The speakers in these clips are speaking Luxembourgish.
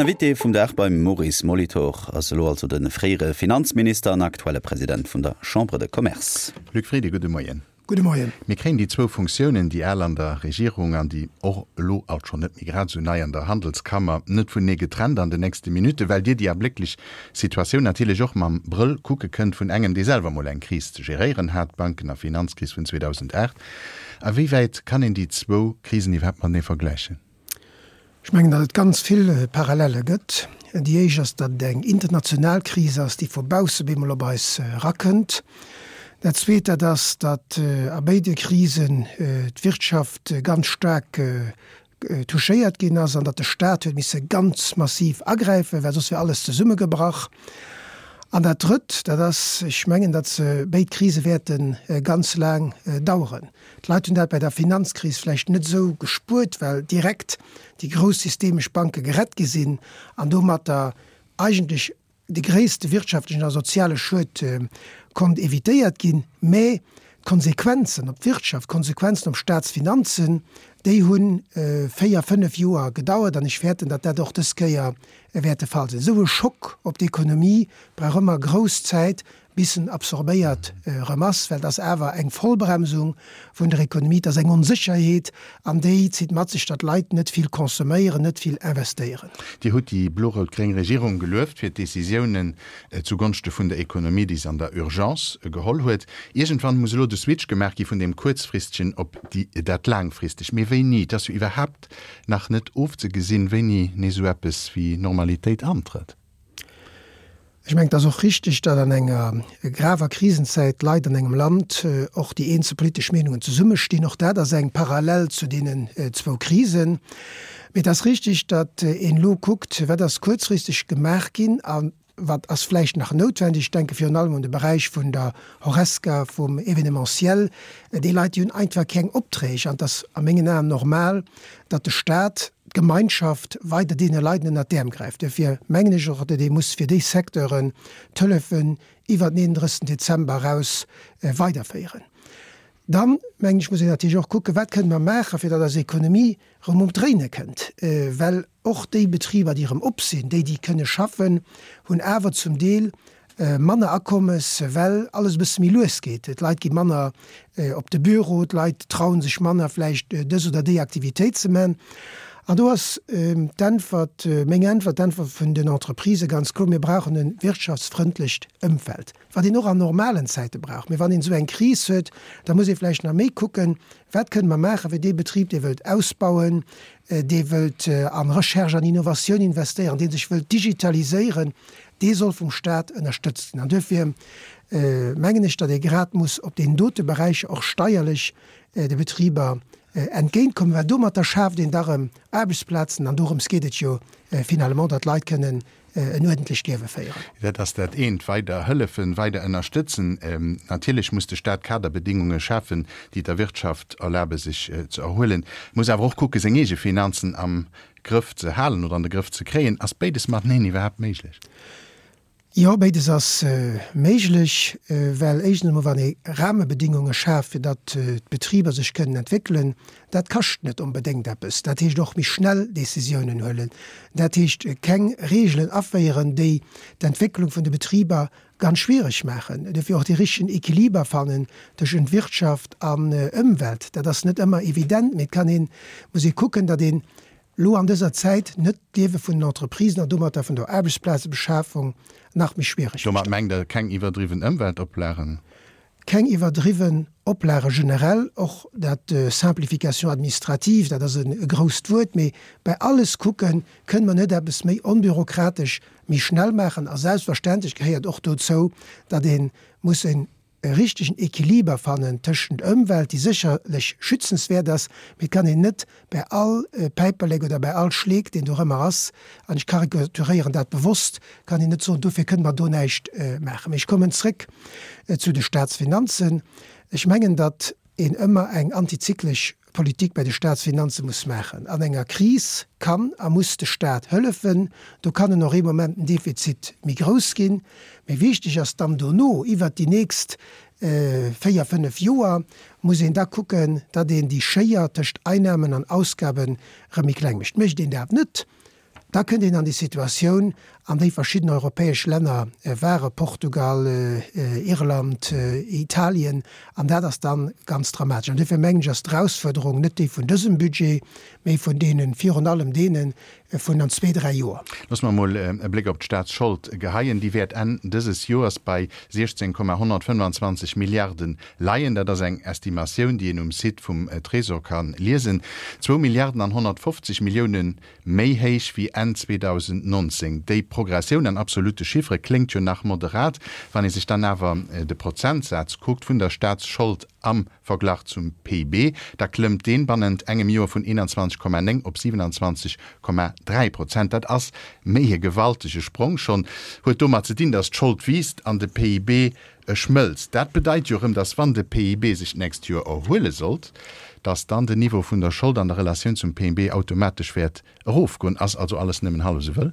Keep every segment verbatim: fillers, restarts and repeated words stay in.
Invité vum Dag beim Maurice Molitor ass elo also de fréiere Finanzminister an aktuelle President vun der Chambre de Commerce. Luc Frieden, gudde Moien. Gudde Moien. Mir kréien déi zwou Funktiounen, déi al an der Regierung an déi och elo alt schonn net méi grad esou nei an der Handelskammer, net vunenee getrennt an den nächste Minutten, well Dir déi ablécklech Situatioun natierlech och mam Brëll kucke kënnt vun engem, dee selwer mol eng Kris ze geréieren hat, d'Banken a Finanzkris vun zweedausendacht. A wéi wäit kann een déi zwou Krisen iwwerhaapt matenee vergläichen? Ech mengen, datt et ganz vill Parallele gëtt. Déi éischt ass, datt et eng international Kris ass, déi vu bausse bemol op eis erakënnt. Dat Zweet, dat ass, datt a béide Krisen d'Wirtschaft ganz staark touchéiert ginn ass an datt de Staat huet misse ganz massiv agräifen, well soss wär alles zesummegebrach. An dat Drëtt, dat ass, ech mengen, datt se béid Krise wäerte ganz laang daueren. D'Leit hunn dat bei der Finanzkris vläicht net esou gespuert, well direkt déi grouss systemesch Banke gerett gi sinn an domatter eigentlech de gréisste wirtschaftlechen a soziale Schued konnt evitéiert ginn. Mä d'Konsequenzen op d'Wirtschaft, d'Konsequenzen op d'Staatsfinanzen, déi hu véier, fënnef Joer gedauert an ech fäerten, datt dat och dës Kéier wäert de Fall sinn. Esou e Schock op d'Ekonomie brauch ëmmer grouss Zäit, bis en absorbéiert erëm ass, well et ass awer eng Vollbremsung vun der Ekonomie, et ass eng Onsécherheet an déi zitt mat sech, datt d'Leit net vill consomméieren, net vill investéieren. Dir hutt déi blo-rout-gréng Regierung gelueft fir d'Décisiounen zugonschte vun der Ekonomie, déi se an der Urgence geholl huet. Iergendwann muss elo de Switch gemaach gi vun deem Kuerzfristegen op déi, dat Laangfristegt. Mee wéini? Et ass jo iwwerhaapt nach net ofzegesinn, wéini nees esou eppes wéi Normalitéit antrëtt. Ech mengen, et ass och richtig, datt an enger graver Krisenzäit d'Leit an engem Land och déi eenzel politesch Meenungen zesummestinn. Och dat ass eng Parallel zu deenen zwou Krisen. Mee et ass richtig, datt een elo kuckt, wat ass kuerzfristeg gemaach ginn a wat ass vläicht nach noutwendeg. Ech denke virun allem un de Beräich vun der Horesca, vum Événementiel. Déi Leit, déi hunn einfach keng Opträg. An et ass a mengen Aen normal, datt de Stat, d'Gemeinschaft weider deene Leit ënnert d'Äerm gräift. Duerfir mengen ech och, datt ee muss fir déi Secteuren d'Hëllefen iwwert den eenunddrëssigsten Dezember eraus weiderféieren. Dann, mengen ech, muss een natierlech och kucken, wat kënne mer maachen, fir datt eis Ekonomie erëm um d'Dréine kënnt. Well och déi Betriber, déi erëm op sinn, déi, déi kënne schaffen, hunn awer zum Deel manner Akommes, well alles e bësse méi lues geet. D'Leit gi manner op de Büro, d'Leit trauen sech manner vläicht dës oder déi Aktivitéit ze man. An do ass d'Äntwert, meng Äntwert, d'Äntwert vun den Entreprisë ganz kloer, Mir brauchen e wirtschaftsfrëndlecht Ëmfeld, wat een och an normalen Zäite brauch. Mee wann een esou eng Kris huet, da muss ee vläicht nach méi kucken, Wat kënne mer maachen, fir dee Betrib, dee wëllt ausbauen, dee wëllt an Recherche an Innovatioun investéieren, dee sech wëllt digitaliséieren, dee soll vum Stat ënnerstëtzt ginn. An duerfir mengen ech, datt ee grad muss op deenen dote Beräicher och steierlech de Betriber entgéintkommen, well domatter schaaft een da rëm Aarbechtsplazen an dorëms geet et jo finalement, datt d'Leit kënnen en uerdentlecht Liewe féieren. Dat ass dat eent, weider hëllefen, weider ënnerstëtzen. Natierlech muss de Stat Kaderbedingunge schafen, déi der Wirtschaft erlabe sech ze erhuelen, muss awer och kucke seng eege Finanzen am Grëff ze halen oder an de Grëff ze kréien. Ass béides mateneen iwwerhaapt méiglech? Jo, béides ass méiglech, well éischtens emol, wann ee Rahmebedingunge schaaft, fir datt d'Betriber sech kënnen entwéckelen, dat kascht net onbedéngt eppes. Dat heescht och méi schnell Décisiounen huelen. Dat heescht keng Regeln aféieren, déi d'Entwécklung vun de Betriber ganz schwiereg maachen. Dofir och dee richtegen Equiliber fannen tëschent Wirtschaft an Ëmwelt. Dat ass net ëmmer evident, mee et kann een, muss ee kucken, datt een elo an dëser Zäit net d'Liewe vun den Entreprisen an domatter vun der Aarbechtsplazebeschafung nach méi schwiereg mécht. Domat mengt Der keng iwwerdriwwen Ëmweltoplagen? Keng iwwerdriwwen Oplage generell, och dat Simplification administrative, dat ass e grousst Wuert, mee bei alles kucken, kënne mer net eppes méi onbürokratesch, méi schnell maachen? A selbstverständlech gehéiert och dozou, datt ee muss e richtegen Equiliber fannen tëschent Ëmwelt, déi sécherlech schützenswäert ass, mee et kann een net bei all Päiperlek oder bei all Schleek, deen dorëmmer ass, an ech karikaturéieren dat bewosst, kann een net soen, dofir kënne mer do näischt maachen. Mee ech kommen zréck zu de Staatsfinanzen. Ech mengen, datt een ëmmer eng antizyklesch Politik bei de Staatsfinanze muss maachen. An enger Kris kann a muss de Staat hëllefen. Do kann en och ee Moment den Defizit méi grouss ginn. Mee wichteg ass dann dono, iwwert déi nächst véier, fënnef Joer, muss een da kucken, datt een déi Schéier tëscht Einnahmen an Ausgaben erëm méi kleng mécht. Mécht een dat net, Da kënnt een an déi Situatioun, an déi verschidden europäesch Länner waren, Portugal, Irland, Italien, an dat ass da ganz dramatesch. An duerfir mengen ech, ass d'Erausfuerderung net déi vun dësem Budget, mee vun deenen, virun allem deene vun an zwee, dräi Joer. Loosse mer emol e Bléck op d'Staatsschold geheien. Déi wäert Enn dëses Joers bei siechzéng Komma honnertfënnwanzwanzeg Milliarde leien. Dat ass eng Estimatioun, déi een um Site vum Trésor ka liesen. Zwou Milliarden an honnertfofzeg Millioune méi héich wéi Enn zweedausendnonzéng. Déi Progressioun an absolutte Chiffere kléngt jo nach moderat. Wann ee sech dann awer de Prozentsaz kuckt vun der Staatsschold am Verglach zum P I B, da klëmmt deen bannent engem Joer vun eenanzwanzeg Komma néng op siwenanzwanzeg Komma dräi Prozent. Dat ass méi e gewaltege Sprong schonn. Huet domat ze dinn, datt d'Schold wiisst an de P I B schmëlzt. Dat bedeit jo erëm, datt wann de P I B sech d'nächst Joer erhuele sollt, datt dann den Niveau vun der Schold an der Relatioun zum P I B automatesch wäert erofgoen. Ass also alles nëmmen hallef esou wëll?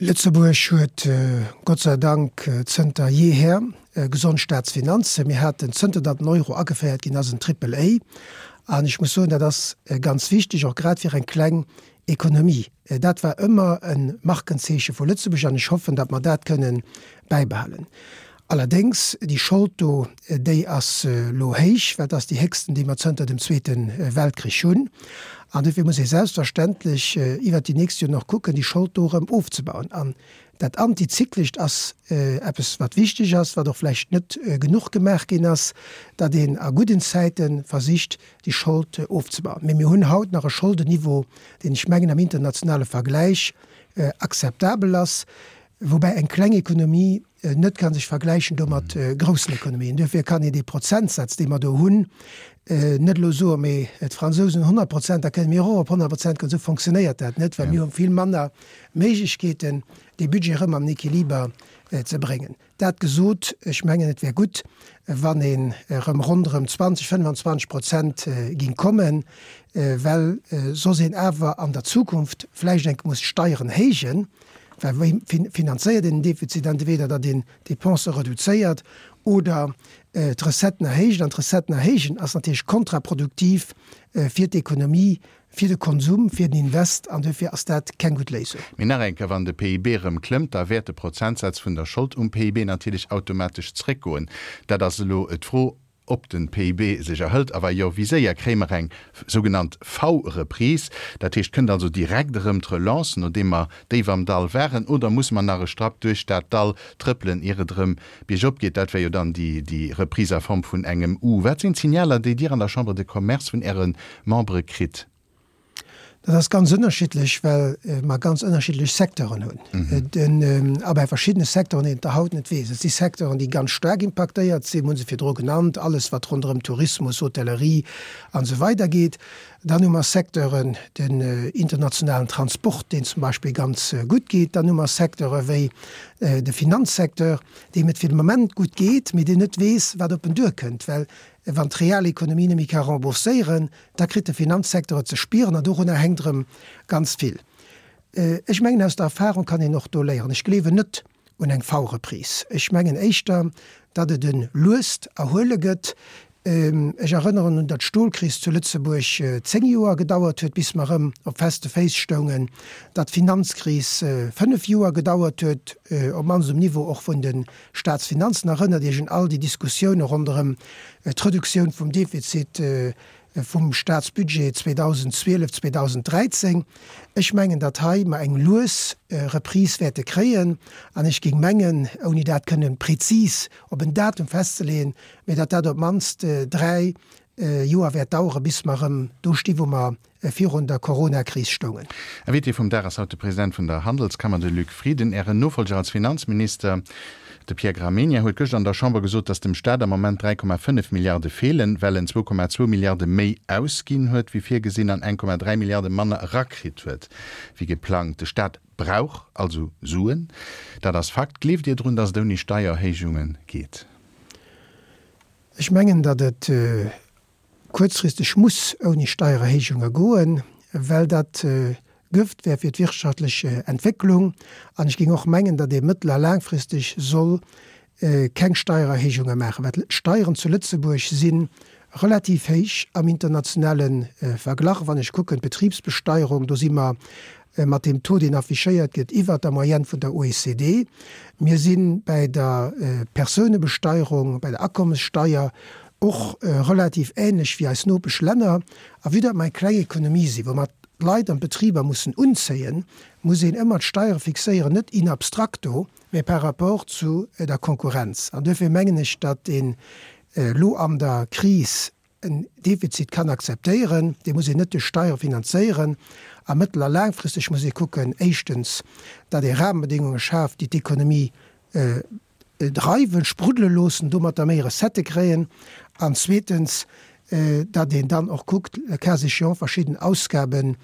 Lëtzebuerg huet Gott sei Dank zënter jeeher gesond Staatsfinanzen. Mir haten, zënter datt den Euro ageféiert ginn ass, en Triple A. An ech muss soen, dat ass ganz wichteg, och grad fir eng kleng Ekonomie. Dat war ëmmer e Markenzeeche vu Lëtzebuerg an ech hoffen, datt mer dat kënnen bäibehalen. Allerdéngs, déi Schold do, déi ass elo héich, well et ass déi héchsten, déi mer zënter dem Zweete Weltkrich hunn. An dofir muss ee selbstverständlech iwwert déi nächst Joren och kucken, déi Schold do erëm ofzebauen. An dat Antizyklescht ass eppes, wat wichteg ass, wat och vläicht net genuch gemaach ginn ass, datt een a gudden Zäite versicht, déi Schold ofzebauen. Mee mir hunn haut nach e Scholdenniveau, deen, ech mengen, am internationale Vergläich akzeptabel ass. Woubäi eng kleng Ekonomie net ka sech vergläichen do mat groussen Ekonomien. Duerfir kann een dee Prozentsaz, dee mer do hunn, net elo soen, mee d'Fransousen hunn honnert Prozent, da kënne mir och op honnert Prozent goen. Esou fonctionnéiert dat net, well mir hu vill manner Méiglechkeeten, dee Budget erëm an den Equiliber ze bréngen. Dat gesot, ech mengen, et wär gutt, wann een erëm ronderëm zwanzeg, fënnwanzwanzeg Prozent géing kommen, well soss een awer an der Zukunft vläicht enk muss d'Steieren héijen. Well wéi finanzéiert een den Defizit? Entweder datt een d'Dépensë reduzéiert oder d'Recetten erhéicht. An d'Recetten erhéijen ass natierlech kontraproduktiv fir d'Ekonomie, fir de Konsum, fir den Invest, an duerfir ass dat keng gutt Léisung. Mee nach eng Kéier, Wann de P I B erëm klëmmt, da wäert de Prozentsaz vun der Schold um P I B natierlech automatesch zréckgoen. Dat ass elo d'Fro, ob de P I B sech erhëlt, a wa jo, wéi séier. Kréie mer eng sougenannt V-Reprise, dat heescht, kënnt also direkt erëm d'Relance, nodeem mer déif am Dall waren, oder musse mer nach e Strapp duerch dat Dall trëppelen, ier et erëm biergop geet? Dat wär jo dann déi Reprise a Form vun engem U. Wat sinn d'Signaler, déi Dir an der Chambre de Commerce vun Äre Membere kritt? Dat ass ganz ënnerschiddlech, well mer ganz ënnerschiddlech Secteuren hunn. Den, a bei verschiddene Secteuren, déi een der haut net weess. Et si Secteuren, déi ganz staark impaktéiert sinn, mir hu se virdru genannt, alles wat ronderëm Tourismus, Hotellerie an esou weider geet. Dann hu mer Secteuren, den internationalen Transport, deen zum Beispill ganz gutt geet. Dann hu mer Secteure wéi de Finanzsecteur, deem et fir de Moment gutt geet, mee deen net weess, wat op en duerkënnt, well wann d'Realekonomie net méi ka rembourséieren, da kritt de Finanzsecteur et ze spieren an dorunner hänkt erëm ganz vill. Ech mengen, aus der Erfahrung kann een och do léieren. Ech gleewen net un eng V-Reprise. Ech mengen éischter, datt et e luest Erhuele gëtt. Ech erënneren un, datt d'Stolkris zu Lëtzebuerg zéng Joer gedauert huet, bis mer erëm op feste Féiss stoungen, datt d'Finanzkris fënnef Joer gedauert huet, op d'mannst um Niveau och vun de Staatsfinanzen. Erënnert Iech un all déi Diskussioune ronderëm d'Reduktioun vum Defizit vum Staatsbudget zweedausendzwielef zweedausenddräizéng. Ech mengen, datt hei mer eng lues Reprise wäerte kréien, an ech géing mengen, ouni dat kënnen prezis op en Datum festzeleeën, mä datt dat op d'mannst dräi Joer wäert daueren, bis mer erëm do sti wou mer virun der Coronakris stoungen. Invité vum Dag ass haut de President vun der Handelskammer, de Luc Frieden. Ären Nofolger als Finanzminister, de Pierre Gramegna, huet gëschter an der Chamber gesot, datt dem Staat am Moment dräi Komma fënnef Milliarde feelen, well en zwou Komma zwou Milliarde méi ausginn huet wéi virgesinn an eng Komma dräi Milliarde manner erakritt huet wéi geplangt. De Staat brauch also Suen, dat ass Fakt. Gleeft Dir drun, datt et ouni Steiererhéijunge geet? Ech mengen, datt et kuerzfristeg muss ouni Steiererhéijunge goen, well dat Gëft wär fir d'wirtschaftlech Entwécklung. An ech géing och mengen, datt ee mëttel a laangfristeg soll keng Steiererhéijunge maachen, well d'Steieren zu Lëtzebuerg si relativ héich am internationale Verglach. Wann ech kucken, d'Betribsbesteierung, do si mer mat deem Taux, deen affichéiert gëtt, iwwert der Moyenne vun der O E C D. Mir si bäi der Persounebesteierung, bäi der Akommessteier och relativ ähnlech wéi eis Nopeschlänner. A vue datt mer eng kleng Ekonomie sinn, wou mer d'Leit an d'Betriber mussen unzéien, muss een ëmmer d'Steiere fixéieren, net in abstracto, mä par rapport zu der Konkurrenz. An duerfir mengen ech, datt een elo an der Kris en Defizit kann akzeptéieren, dee muss een net duerch Steiere finanzéieren. A mëttel a laangfristeg muss ee kucken, éischtens, datt ee Rahmenbedéngunge schaaft, déi d'Ekonomie dreiwen, spruddele loossen, domatter méi Recettë kréien, an zweetens, datt een dann och kuckt, le cas échéant verschidden Ausgaben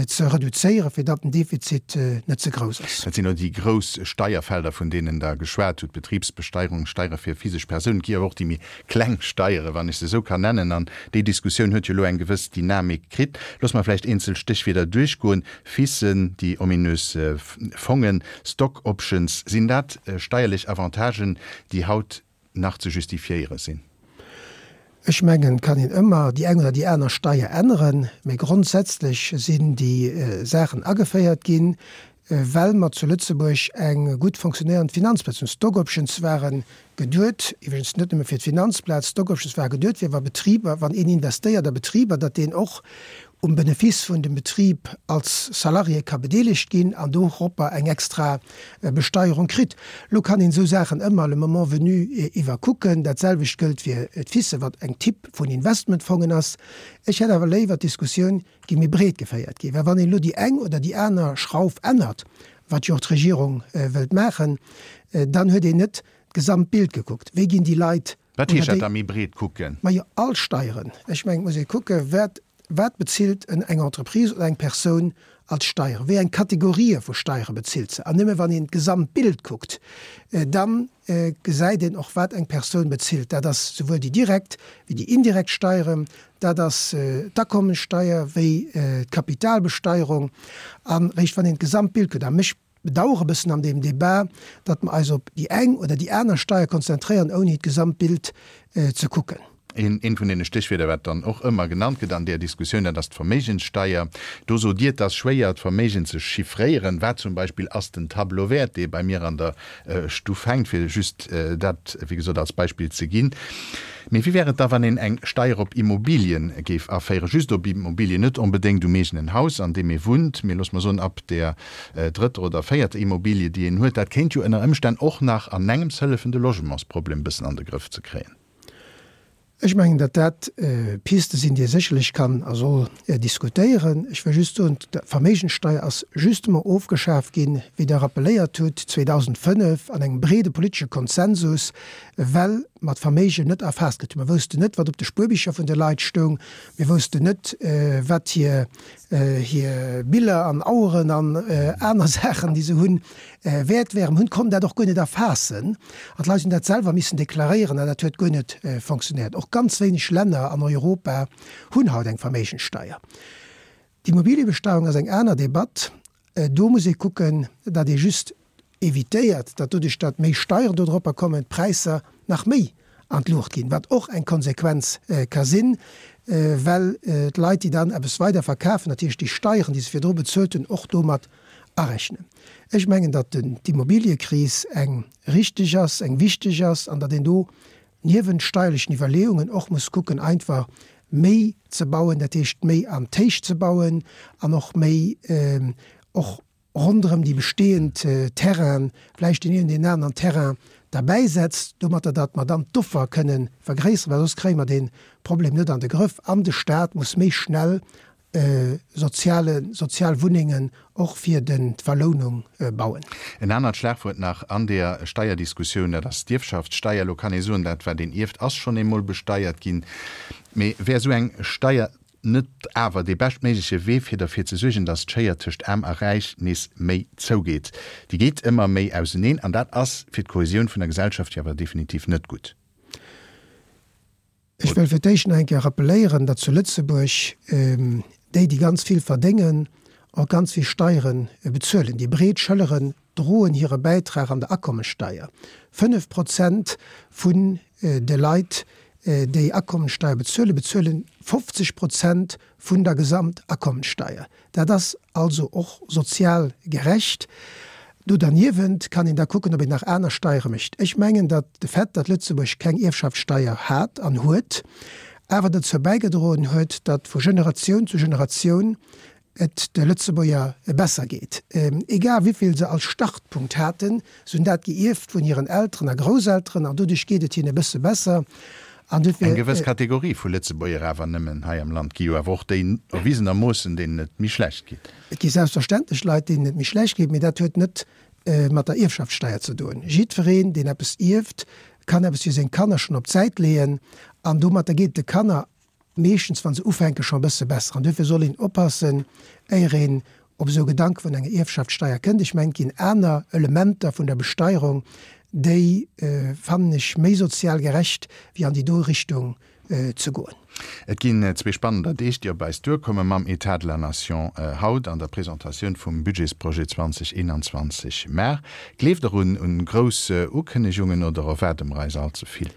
ze reduzéieren, fir datt den Defizit net ze grouss ass. Dat sinn elo déi grouss Steierfelder, vun deenen Der geschwat hutt, Betribsbesteierung, Steiere fir physesch Persounen. Et gi awer och déi méi kleng Steiere, wann ech se esou kann nennen. An déi Diskussioun huet jo elo eng gewëss Dynamik kritt. Loosse mer vläicht eenzel Stéchwierder duerchgoen. FISen, déi ominös Fongen, Stock Options, sinn dat steierlech Avantagen, déi haut nach ze justifiéiere sinn? Ech mengen, et kann een ëmmer déi eng oder déi aner Steier änneren, mee grondsätzlech sinn déi Saachen ageféiert ginn, well mer zu Lëtzebuerg eng gutt fonctionnéierend Finanzplaz hunn. Stock Options ware geduet, iwwregens net nëmme fir d'Finanzplaz, Stock Options ware geduet fir wa Betriber, wann een investéiert a Betriber, datt deen och um Benefice vun dem Betrib als Salarié ka bedeelegt ginn an doropper eng extra Besteierung kritt. Lo kann een esou Saachen ëmmer le moment venu iwwerkucken. Dat selwecht gëllt fir d'FISe, wat eng Typ vun Investmentfongen ass. Ech hätt awer léiwer, d'Diskussioun géing méi breet geféiert ginn, well wann een elo déi eng oder déi aner Schrauf ännert, wat jo och d'Regierung wëllt maachen, dann huet een net d'gesamt Bild gekuckt. Wéi ginn déi Leit Wat heescht dat da, méi breet kucken? Majo, all Steieren. Ech mengen, et muss ee kucken, wat Wat bezilt en eng Entreprise oder eng Persoun als Steieren? Wéi eng Kategorië vu Steiere bezilt se? An nëmme wann een d'Gesamtbild kuckt, da gesäit een och, wat eng Persoun bezilt. Dat ass souwuel déi direkt wéi déi indirekt Steieren, dat ass d'Akommessteier wéi d'Kapitalbesteierung. A réischt wann een d'Gesamtbild kuckt, a mech bedauere bëssen an deem Débat, datt mer eis op déi eng oder déi aner Steier konzentréieren, ouni d'Gesamtbild ze kucken. Eent vun deene Stéchwierder, wat dann och ëmmer genannt gëtt an där Diskussioun, dat ass d'Verméigenssteier. Do sot Dir, et ass schwéier, d'Verméigen ze chiffréieren. Wat zum Beispill ass den Tableau wäert, dee bei mir an der Stuff hänkt, fir just dat, wéi gesot, als Beispill ze ginn. Mee wéi wär et da, wann een eng Steier op Immobilien géif aféieren, just op Immobilien, net onbedéngt um eegenen Haus, an deem ee wunnt, mee loosse mer soen, ab där drëtter oder véierter Immobilie, déi een huet? Dat kéint jo ënner Ëmstänn och nach an engems hëllefen, de Logementsproblem e bëssen an de Grëff ze kréien. Ech mengen, datt dat Piste sinn, déi ee sécherlech kann a soll diskutéieren. Ech wëll just soen, d'Verméigenssteuer ass justement ofgeschaf ginn, wéi Der rappeléiert hutt, zweedausendfënnef an engem breede politesche Konsensus, well mer d'Verméigen net erfaasst kritt hunn. Mer woussten net, wat op de Spuerbicher vun de Leit stoung. Mir woussten net, wat hir hir Biller an Aueren an aner Saachen, déi se hunn, wäert wären. Hunn konnt dat och guer net erfaassen an d'Leit hunn dat selwer missen deklaréieren an dat huet guer net fonctionnéiert. Och ganz wéineg Länner an Europa hunn haut eng Verméigenssteier. D'Immobiliebesteierung ass eng aner Debatt. Do muss ee kucken, datt ee just evitéiert, datt doduerch, datt méi Steieren dodropper kommen, d'Präisser nach méi an d'Luucht ginn, wat och eng Konsequenz ka sinn, well d'Leit, déi dann eppes weider verkafen, natierlech déi Steieren, déi se virdru bezuelt hunn, och domat arechnen. Ech mengen, datt d'Immobiliëkris eng richteg ass, eng wichteg ass an datt een do niewent steierlechen Iwwerleeungen och muss kucken, einfach méi ze bauen, dat heescht méi an d'Héicht ze bauen an och méi och ronderëm déi bestehend Terrainen vläicht deen een oder deen aneren Terrain derbäisetzt, domatter datt mer dann d'Offer kënnen vergréisseren, well soss kréie mer dee Problem net an de Grëff an de Stat muss méi schnell soziale, sozial Wunnengen och fir den, d'Verlounung bauen. En anert Schlagwuert nach an där Steierdiskussioun, dat ass d'Ierfschaftssteier. Elo kann ee soen, dat wat een ierft ass schonn eemol besteiert ginn. Mee wär esou eng Steier net awer dee beschtméigleche Wee fir derfir ze suergen, datt d'Schéier tëscht Aarm a Räich nees méi zougeet? Déi geet ëmmer méi auseneen an dat ass fir d'Kohäsioun vun der Gesellschaft jo awer definitiv net gutt. Ech wëll fir d'éischt nach eng Kéier rappeléieren, datt zu Lëtzebuerg déi, déi ganz vill verdéngen, och ganz vill Steiere bezuelen. Déi breet Schëlleren droen hire Bäitrag an der Akommessteier. Fënnef Prozent vun de Leit, déi Akommensteier bezuelen, bezuelen fofzeg Prozent vun der Gesamtakommensteier. Dat ass also och sozial gerecht. Do derniewent kann een da kucken, ob een nach aner Steiere mécht. Ech mengen, datt de Fait, datt Lëtzebuerg keng Ierfschaftssteier hat an huet, awer dozou bäigedroen huet, datt vu Generatioun zu Generatioun et de Lëtzebuerger besser geet. Egal wéivill se als Startpunkt haten, se hunn dat geierft vun hiren Elteren a Grousselteren an doduerch geet et hinne e bësse besser. An dofir. Eng gewëss Kategorie vu Lëtzebuerger awer nëmmen hei am Land gi jo awer och déi erwisenermoossen, deenen et méi schlecht geet. Et gi selbstverständlech Leit, deenen et méi schlecht geet, mee dat huet net mat der Ierfschaftssteier ze doen. Jiddwereen, deen eppes ierft, kann eppes fir seng Kanner schonn op d'Säit leeën an domatter geet et de Kanner meeschtens, wa se ufänken, scho e bësse besser. An duerfir soll een oppassen, éier een op esou Gedanke vun enger Ierfschaftssteier kënnt. Ech mengen, et ginn aner Elementer vun der Besteierung, déi fannen ech méi sozial gerecht, wéi an déi do Richtung ze goen. Et ginn zwee spannender Deeg, déi op eis duerkommen, mam État de la nation haut an der Presentatioun vum Budgetsprojet zwanzeg eenanzwanzeg mar. Gleeft Der un grouss Ukënnegungen oder erwaarde mer eis all ze vill?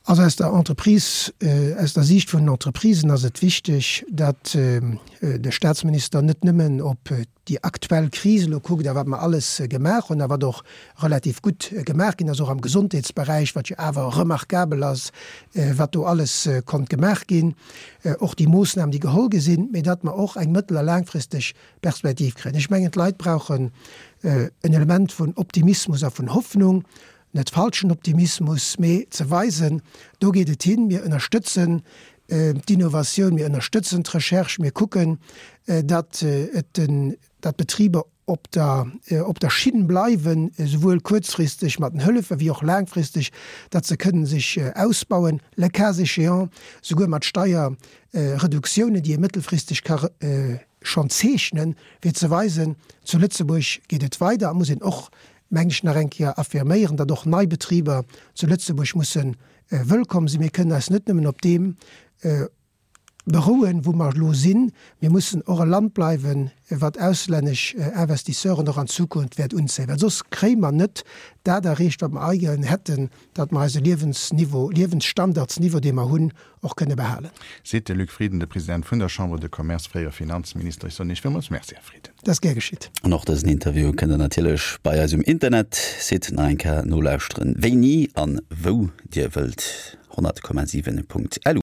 Also aus der Entreprise, aus der Siicht vun den Entreprisen ass et wichteg, datt de Statsminister net nëmmen op déi aktuell Kris elo kuckt a wat mer alles gemaach hunn a wat och relativ gutt gemaach ginn ass, och am Gesondheetsberäich, wat jo awer remarkabel ass, wat do alles konnt gemaach ginn, och déi Moossnamen, déi geholl gi sinn, mee datt mer och eng mëttel a laangfristeg Perspektiv kréien. Ech mengen, d'Leit brauchen en Element vun Optimismus a vun Hoffnung, net falschen Optimismus, mee ze weisen, do geet et hin, mir ënnerstëtzen d'Innovatioun, mir ënnerstëtzen d'Recherche, mir kucken, datt et den, datt d'Betriber op der, op der Schinn bleiwen, esouwuel kuerzfristeg mat den Hëllefe wéi och laangfristeg, datt se kënnen sech ausbauen, le cas échéant souguer mat Steierreduktiounen, déi ee mëttelfristeg ka schonn zeechnen, fir ze weisen, zu Lëtzebuerg geet et weider. A muss een och meng ech, nach eng Kéier affirméieren, datt och nei Betriber zu Lëtzebuerg musse wëllkomm sinn. Mir kënnen eis net nëmmen op deem berouen, wou mer elo sinn. Mir mussen och e Land bleiwen, wat auslännesch Investisseuren och an Zukunft wäert unzéien, well soss kréie mer net dat erreecht, wat mer eigeren hätten, datt mer eise Liewensniveau, Liewensstandardsniveau, dee mer hunn, och kënne behalen. Seet de Luc Frieden, de President vun der Chambre de Commerce, fréiere Finanzminister. Ech soen Iech villmools Merci, Här Frieden. Dat ass gär geschitt. An och dësen Interview kënnt der natierlech bei eis um Internetsite nach eng Kéier nolauschteren, wéini an wou Dir wëllt. honnert Komma siwen Punkt lu.